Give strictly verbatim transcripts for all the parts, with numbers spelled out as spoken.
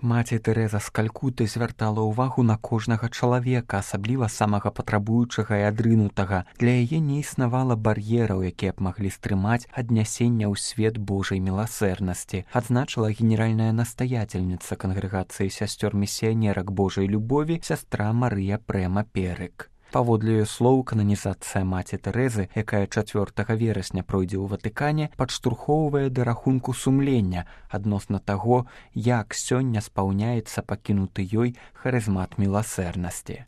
Маці Тэрэза з Калькуты звяртала ўвагу на кожнага чалавека, асабліва самага патрабуючага і адрынутага. Для яе не існавала бар'ераў, якія б маглі стрымаць аднясення ў свет Божай міласэрнасці, адзначыла генеральная настаятельніца кангрэгацыі сясцёр-місіянерак Божай любові сястра Марыя Прэма Перык. Паводле яе слоў, кананізацыя маці Тэрэзы, якая чацвёртага верасня пройдзе ў Ватыкане, падштурхоўвае да рахунку сумлення адносна таго, як сёння спаўняецца пакінуты ёй харызмат міласэрнасці.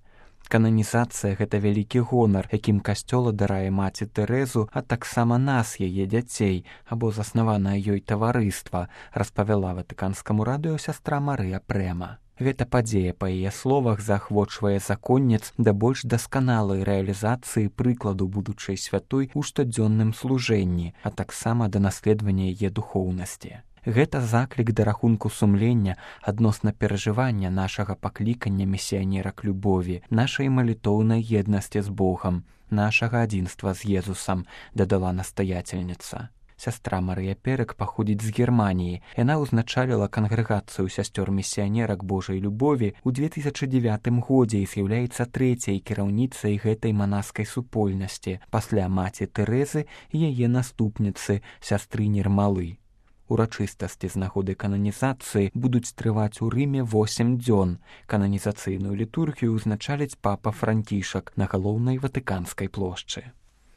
Кананізацыя – гэта вялікі гонар, якім касцёл адарае маці Тэрэзу, а таксама нас, яе дзяцей, або заснаванае ёй таварыства, распавяла ватыканскаму радыё сястра Марыя Прэма. Гэта падзея, па яе словах, заахвочвае законніц да больш дасканалай рэалізацыі прыкладу будучай святой у штодзённым служэнні, а таксама да наследавання яе духоўнасці. Гэта заклік да рахунку сумлення адносна перажывання нашага паклікання місіянерак любові, нашай малітоўнай еднасці з Богам, нашага адзінства з Езусам, дадала настаятельніца. Сястра Марыя Перык паходзіць з Германіі. Яна ўзначаліла кангрэгацыю сясцёр-місіянерак Божай любові ў две тысячы дзевятым годзе і з'яўляецца трэцяй кіраўніцай гэтай манаскай супольнасці пасля маці Тэрэзы і яе наступніцы, сястры Нірмалы. Урачыстасці з нагоды кананізацыі будуць трываць у Рыме восем дзён. Кананізацыйную літургію ўзначаліць папа Францішак на галоўнай ватыканскай плошчы.